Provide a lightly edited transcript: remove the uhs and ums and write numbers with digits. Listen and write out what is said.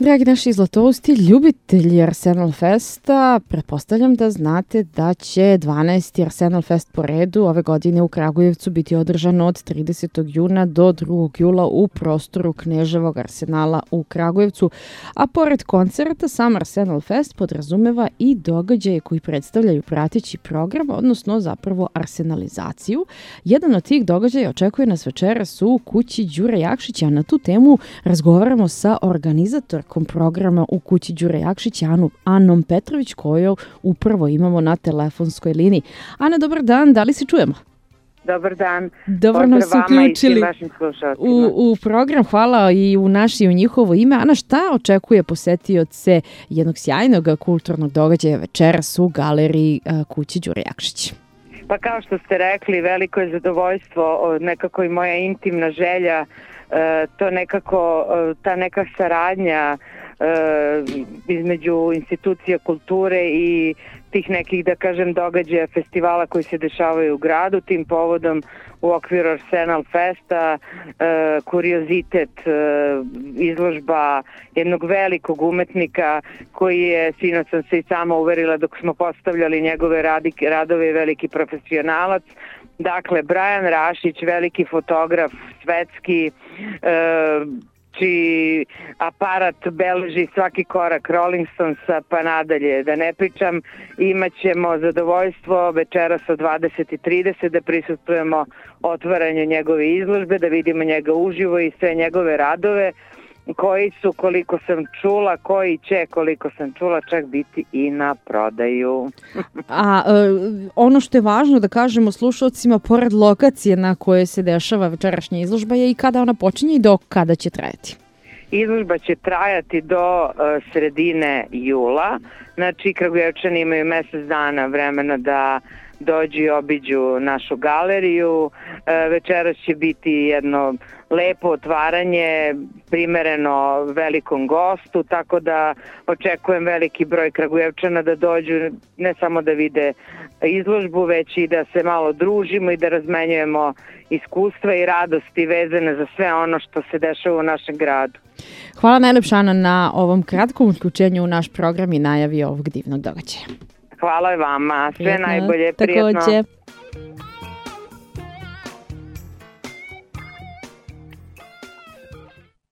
Dragi naši zlatousti, ljubitelji Arsenal Festa, pretpostavljam da znate da će 12. Arsenal Fest po redu ove godine u Kragujevcu biti održan od 30. juna do 2. jula u prostoru Kneževog arsenala u Kragujevcu, a pored koncerta sam Arsenal Fest podrazumeva i događaje koji predstavljaju prateći program, odnosno zapravo arsenalizaciju. Jedan od tih događaja očekuje nas večeras u kući Đure Jakšića, a na tu temu razgovaramo sa organizatorkom programa u kući Đure Jakšića, Anom Petrović, koju upravo imamo na telefonskoj liniji. Ana, dobar dan, da li se čujemo? Dobar dan. Dobro nam se uključili u program. Hvala i u naše i u njihovo ime. Ana, šta očekuje posetioce jednog sjajnog kulturnog događaja večeras u galeriji kući Đure Jakšića? Pa kao što ste rekli, veliko je zadovoljstvo, nekako i moja intimna želja, to nekako, ta neka saradnja između institucija kulture i tih nekih, da kažem, događaja, festivala koji se dešavaju u gradu. Tim povodom u okviru Arsenal Festa, kuriozitet, izložba jednog velikog umetnika koji je, sinoć sam se i sama uverila dok smo postavljali njegove radove, veliki profesionalac. Dakle, Brian Rašić, veliki fotograf, svetski, čiji aparat beleži svaki korak Rolling Stonesa pa nadalje, da ne pričam. Imaćemo zadovoljstvo večeras od 20:30 da prisustvujemo otvaranju njegove izložbe, da vidimo njega uživo i sve njegove radove koji su, koliko sam čula, koliko sam čula, čak biti i na prodaju. A ono što je važno da kažemo slušalcima, pored lokacije na kojoj se dešava večerašnja izložba, je i kada ona počinje i do kada će trajati? Izložba će trajati do sredine jula. Znači, Kragujevčani imaju mesec dana vremena da dođu i obiđu našu galeriju. Večeras će biti jedno lepo otvaranje, primereno velikom gostu, tako da očekujem veliki broj Kragujevčana da dođu ne samo da vide izložbu, već i da se malo družimo i da razmenjujemo iskustva i radosti vezane za sve ono što se dešava u našem gradu. Hvala najlepša, Ana, na ovom kratkom uključenju u naš program i najavi ovog divnog događaja. Hvala vama, sve najbolje, prijetno. Takođe.